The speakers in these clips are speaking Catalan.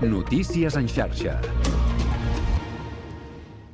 Notícies en xarxa.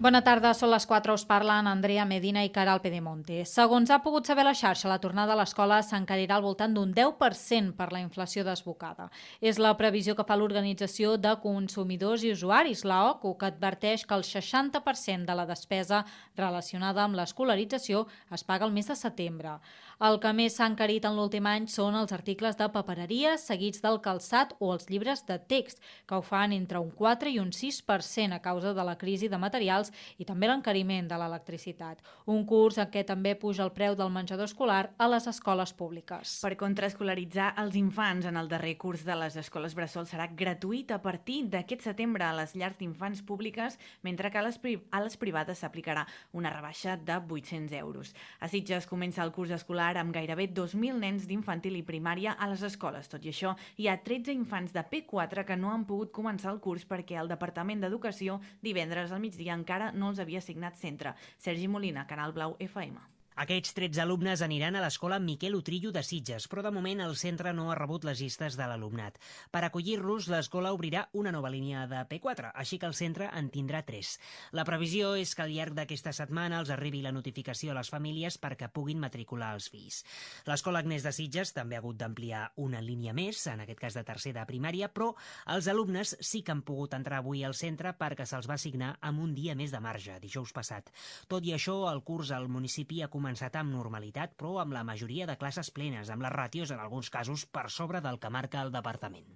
Bona tarda, són les 4, us parlen Andrea Medina i Caral Pedemonte. Segons ha pogut saber la xarxa, la tornada a l'escola s'encarirà al voltant d'un 10% per la inflació desbocada. És la previsió que fa l'Organització de Consumidors i Usuaris, l'OCU, que adverteix que el 60% de la despesa relacionada amb l'escolarització es paga el mes de setembre. El que més s'ha encarit en l'últim any són els articles de papereria, seguits del calçat o els llibres de text, que ho fan entre un 4 i un 6% a causa de la crisi de materials i també l'encariment de l'electricitat. Un curs en què també puja el preu del menjador escolar a les escoles públiques. Per contraescolaritzar els infants en el darrer curs de les escoles bressol serà gratuït a partir d'aquest setembre a les llars d'infants públiques, mentre que a les privades s'aplicarà una rebaixa de 800 euros. A Sitges comença el curs escolar amb gairebé 2.000 nens d'infantil i primària a les escoles. Tot i això, hi ha 13 infants de P4 que no han pogut començar el curs perquè el Departament d'Educació divendres al migdia encara no els havia assignat centre. Sergi Molina, Canal Blau FM. Aquests 13 alumnes aniran a l'escola Miquel Utrillo de Sitges, però de moment el centre no ha rebut les llistes de l'alumnat. Per acollir-los, l'escola obrirà una nova línia de P4, així que el centre en tindrà 3. La previsió és que al llarg d'aquesta setmana els arribi la notificació a les famílies perquè puguin matricular els fills. L'escola Agnès de Sitges també ha hagut d'ampliar una línia més, en aquest cas de tercer de primària, però els alumnes sí que han pogut entrar avui al centre perquè se'ls va assignar amb un dia més de marge, dijous passat. Tot i això, el curs al municipi ha començat amb normalitat, però amb la majoria de classes plenes, amb les ràtios en alguns casos per sobre del que marca el departament.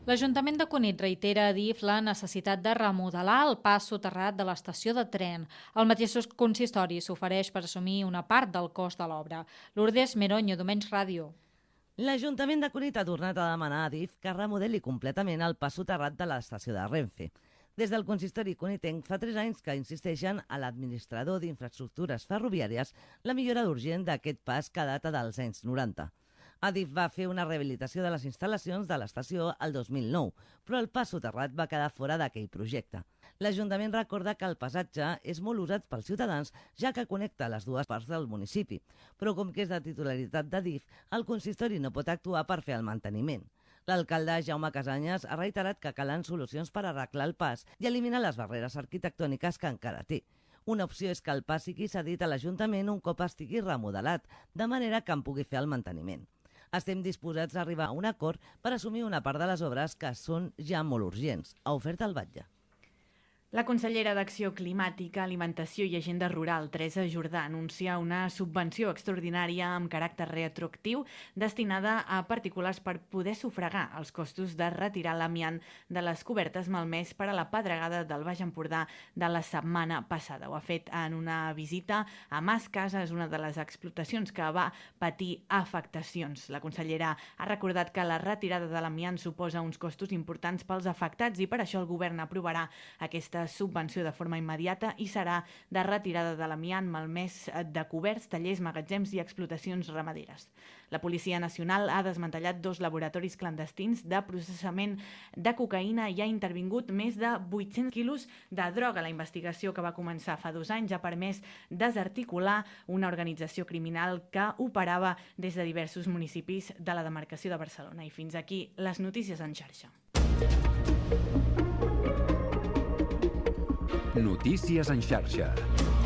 L'Ajuntament de Cunit reitera a DIF la necessitat de remodelar el pas soterrat de l'estació de tren. El mateix consistori s'ofereix per assumir una part del cost de l'obra. Lourdes Meronyo, Domenys Ràdio. L'Ajuntament de Cunit ha tornat a demanar a DIF que remodeli completament el pas soterrat de l'estació de Renfe. Des del consistori cunitenc fa 3 anys que insisteixen a l'administrador d'infraestructures ferroviàries la millora urgent d'aquest pas que data dels anys 90. Adif va fer una rehabilitació de les instal·lacions de l'estació el 2009, però el pas soterrat va quedar fora d'aquell projecte. L'Ajuntament recorda que el passatge és molt usat pels ciutadans, ja que connecta les dues parts del municipi, però com que és de titularitat d'Adif, el consistori no pot actuar per fer el manteniment. L'alcalde Jaume Casanyes ha reiterat que calen solucions per arreglar el pas i eliminar les barreres arquitectòniques que encara té. Una opció és que el pas sigui cedit a l'Ajuntament un cop estigui remodelat, de manera que en pugui fer el manteniment. Estem disposats a arribar a un acord per assumir una part de les obres que són ja molt urgents, ha ofert el batlle. La consellera d'Acció Climàtica, Alimentació i Agenda Rural, Teresa Jordà, anuncia una subvenció extraordinària amb caràcter retroactiu destinada a particulars per poder sufragar els costos de retirar l'amiant de les cobertes malmès per a la pedregada del Baix Empordà de la setmana passada. Ho ha fet en una visita a Mas Cases, una de les explotacions que va patir afectacions. La consellera ha recordat que la retirada de l'amiant suposa uns costos importants pels afectats i per això el govern aprovarà aquesta subvenció de forma immediata i serà de retirada de l'amiant malmès de coberts, tallers, magatzems i explotacions ramaderes. La Policia Nacional ha desmantellat 2 laboratoris clandestins de processament de cocaïna i ha intervingut més de 800 quilos de droga. La investigació que va començar fa 2 anys ha permès desarticular una organització criminal que operava des de diversos municipis de la demarcació de Barcelona. I fins aquí les notícies en xarxa. Notícies en xarxa.